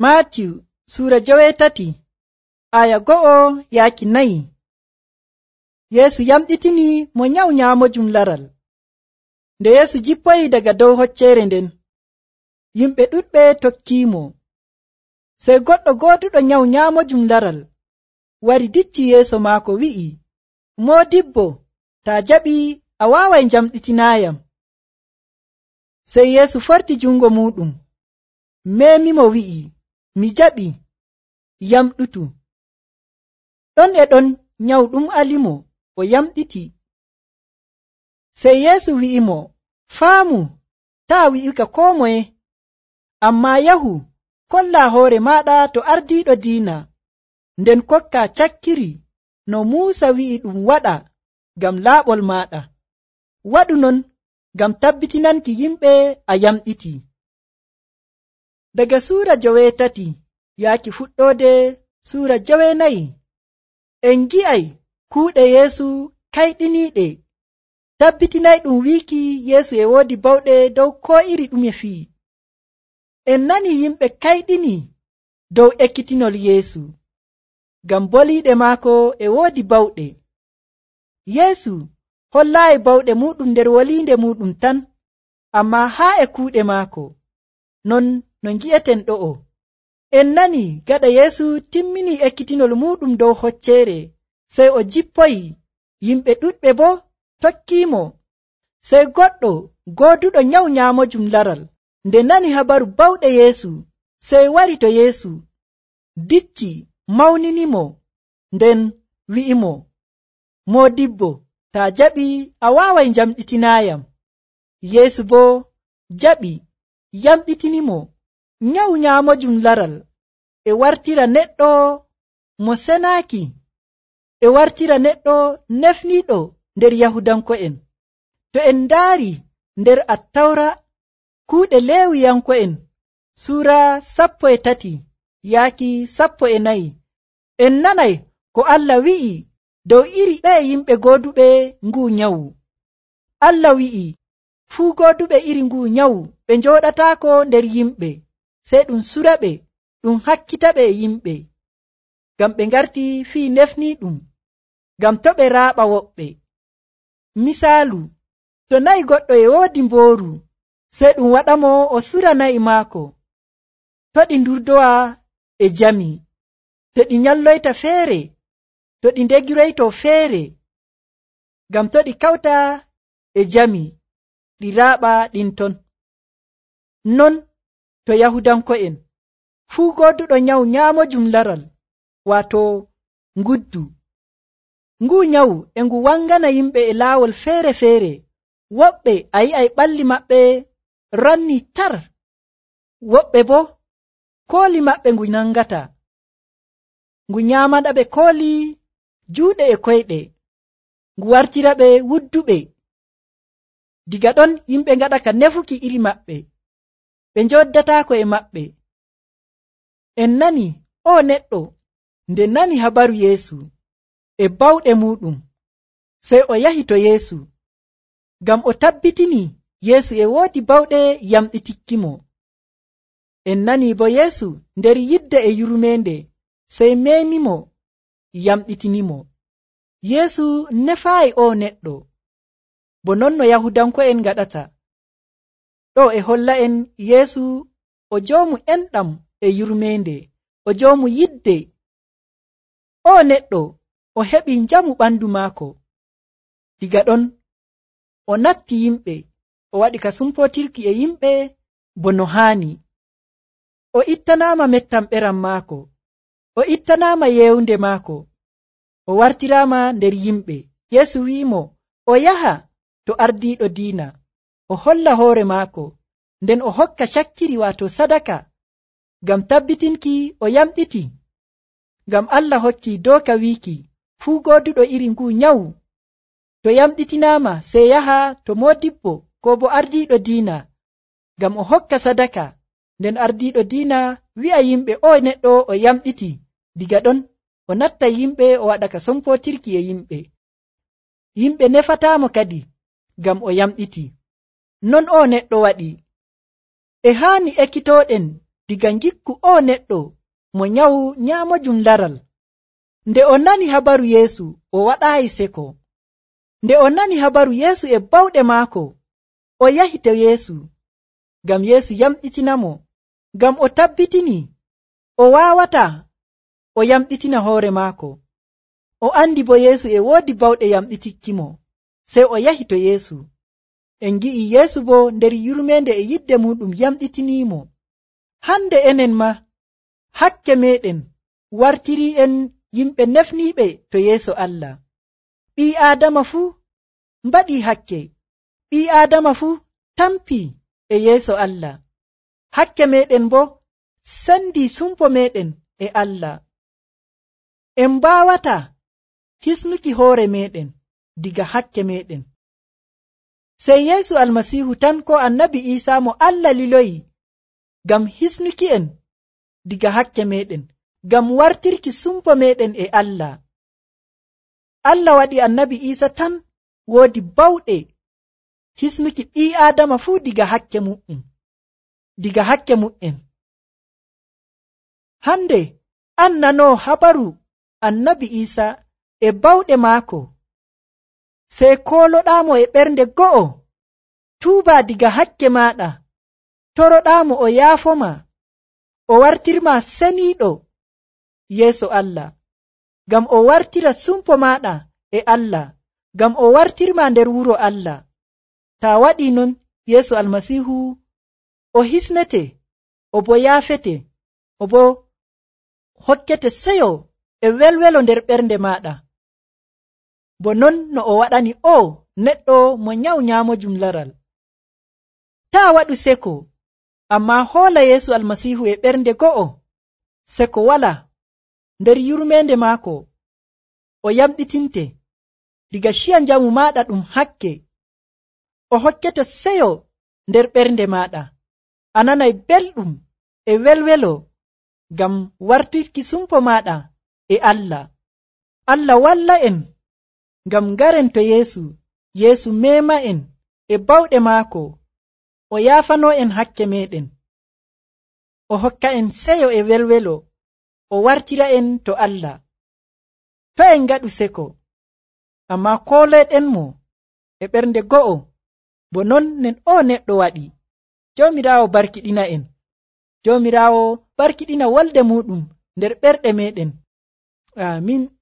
Maatiyu Suura 8 aya 1-4. Yeesu yamɗitini mo nyawu nyaamojum laral. Nde Yeesu jippoyi daga dow hocceere nden, yimɓe ɗuɗɓe tokkiimo. Sey goɗɗo gooduɗo nyawu nyaamojum laral wari dicci yeeso maako wi'i, Moodibbo, taa jaɓi a waaway njamɗitinaayam. Sey Yeesu forti jungo muuɗum, meemimo wi'i, mi jaɓi, yamɗutu. Ɗon e ɗon nyawu ɗum alimo, o yamɗiti. Sey Yeesu wi'imo, faamu, taa wi'uka koo moye, ammaa yahu kollaa hoore maaɗa to ardiiɗo diina, nden kokkaa cakkiri no Muusa wi'i ɗum waɗa ngam laaɓol maaɗa. Waɗu non ngam tabbitinanki yimɓe a yamɗiti. Daga Suura 8 yaaki fuɗɗoode Suura 9, en ngi'ay kuuɗe Yeesu kayɗiniiɗe, tabbitinay ɗum wiiki Yeesu e woodi bawɗe dow koo iri ɗume fii. En nani yimɓe kayɗini dow ekkitinol Yeesu, ngam boliiɗe maako e woodi bawɗe. Yeesu hollaayi bawɗe muuɗum nder woliinde muuɗum tan, ammaa haa e kuuɗe maako. Non no ngi'eten ɗo'o. En nani gaɗa Yeesu timmini ekkitinol muuɗum dow hocceere, sey o jippoyi, yimɓe ɗuɗɓe boo tokkiimo. Sey goɗɗo gooduɗo nyawu nyaamojum laral, nde nani habaru bawɗe Yeesu, sey wari to Yeesu, dicci mawninimo, nden wi'imo, Moodibbo, taa jaɓi a waaway njamɗitinaayam. Yeesu boo jaɓi, yamɗitinimo. Nyawu nyaamojum laral e wartira neɗɗo mo senaaki, e wartira neɗɗo nefniiɗo nder Yahudanko'en. To en ndaari nder Attawra kuuɗe Leewiyanko'en Suura 13 yaaki 14, en nanay ko Allah wi'i dow iri ɓe yimɓe gooduɓe nguu nyawu. Allah wi'i, fuu gooduɓe iri nguu nyawu ɓe njooɗataako nder yimɓe, sey ɗum suraɓe, ɗum hakkitaɓe e yimɓe, ngam ɓe ngarti fii nefniiɗum, ngam to ɓe raaɓa woɓɓe. Misaalu, to nayi goɗɗo e woodi mbooru, sey ɗum waɗamo o sura na'i maako, to ɗi ndurdowa e jami, to ɗi nyalloyta feere, to ɗi ndegiroyto feere, ngam to ɗi kawta e jami, ɗi raaɓa ɗin ton. Non to Yahudanko'en, fuu gooduɗo nyawu nyaamojum laral, waato nguddu. Nguu nyawu e ngu wangana yimɓe e laawol feere-feere. Woɓɓe a yi'ay ɓalli maɓɓe ranni tar, woɓɓe boo kooli maɓɓe ngu nangata. Ngu nyaamanaɓe kooli juuɗe e koyɗe, ngu wartiraɓe wudduɓe. Diga ɗon yimɓe ngaɗa ka nefuki iri maɓɓe, ɓe njoddataako e maɓɓe. En nani o neɗɗo nde nani habaru Yeesu e bawɗe muuɗum, sey o yahi to Yeesu, ngam o tabbitini Yeesu e woodi bawɗe yamɗitikkimo. En nani bo Yeesu nder yidde e yurmeende, sey meemimo, yamɗitinimo. Yeesu nefaayi o neɗɗo, bo non no Yahudanko'en ngaɗata. Ɗo e holla en Yeesu o joomu enɗam e yurmeende, o joomu yidde. O neɗɗo o heɓi njamu ɓandu maako. Diga ɗon o natti yimɓe, o waɗi ka sumpotirki e yimɓe bo no haani. O ittanaama mettam ɓeram maako, o ittanaama yeewnde maako, o wartiraama nder yimɓe. Yeesu wi'imo o yaha to ardiiɗo diina, o holla hoore maako, nden o hokka cakkiri waato sadaka, ngam tabbitinki o yamɗiti. Ngam Allah hokki dooka wiiki fuu gooduɗo iri nguu nyawu, to yamɗitinaama sey yaha to moodibbo koo bo ardiiɗo diina, ngam o hokka sadaka, nden ardiiɗo diina wi'a yimɓe o neɗɗo o yamɗiti. Diga ɗon o natta yimɓe, o waɗa ka sompotirki e yimɓe. Yimɓe nefataamo kadi ngam o yamɗiti. Non o neɗɗo waɗi. E haani ekkitooɗen diga ngikku o neɗɗo mo nyawu nyaamojum laral. Nde o nani habaru Yeesu, o waɗaayi seko. Nde o nani habaru Yeesu e bawɗe maako, o yahi to Yeesu, ngam Yeesu yamɗitinamo, ngam o tabbitini o waawata o yamɗitina hoore maako. O andi bo Yeesu e woodi bawɗe yamɗitikkimo, sey o yahi to Yeesu. En ngi'i Yeesu bo nder yurmeende e yidde muɗum yamɗitiniimo. Hande enen ma hakke meɗen wartirii en yimɓe nefniiɓe to yeeso Allah. Ɓii Aadama fuu mbaɗii hakke. Ɓii Aadama fuu tampii e yeeso Allah. Hakke meɗen bo sendii sumpo meɗen e Allah. En mbaawata hisnuki hoore meɗen diga hakke meɗen. Sey Yeesu Almasiihu tan ko Annabi Iisaa mo Allah liloyi ngam hisnuki en diga hakke meɗen, ngam wartirki sumpo meɗen e Allah. Allah waɗi Annabi Iisa tan woodi bawɗe hisnuki ɓii Aadama fuu diga hakke mu'en. Hande an nanoo habaru Annabi Iisa e bawɗe maako, sey kooloɗaamo e ɓernde go'o, tuuba diga hakke maaɗa, toroɗaamo o yaafoma, o wartirma seniiɗo yeeso Allah, ngam o wartira sumpo maaɗa e Allah, ngam o wartirma nder wuro Allah. Taa waɗii non, Yeesu Almasiihu o hisnete, o bo yaafete, o bo hokkete seyo e welwelo nder ɓernde maaɗa. Bo non no o waɗani o neɗɗo mo nyawu nyaamojum laral. Taa waɗu seko, ammaa hoola Yeesu Almasiihu e ɓernde go'o, seko wala nder yurmeende maako, o yamɗitinte diga ciya njamu maaɗa ɗum hakke, o hokkete seyo nder ɓernde maaɗa, a nanay belɗum e welwelo ngam wartirki sumpo maaɗa e Allah. Allah walla en ngam ngaren to Yeesu meema en e bawɗe maako, o yaafanoo en hakke meɗen, o hokka en seyo e welwelo, o wartira en to Allah. To en ngaɗu seko, ammaa kooloyɗenmo e ɓernde go'o, bo non nen o neɗɗo waɗi. Joomiraawo barkiɗina en. Joomiraawo barkiɗina wolde muɗum nder ɓerɗe meɗen. Aamin.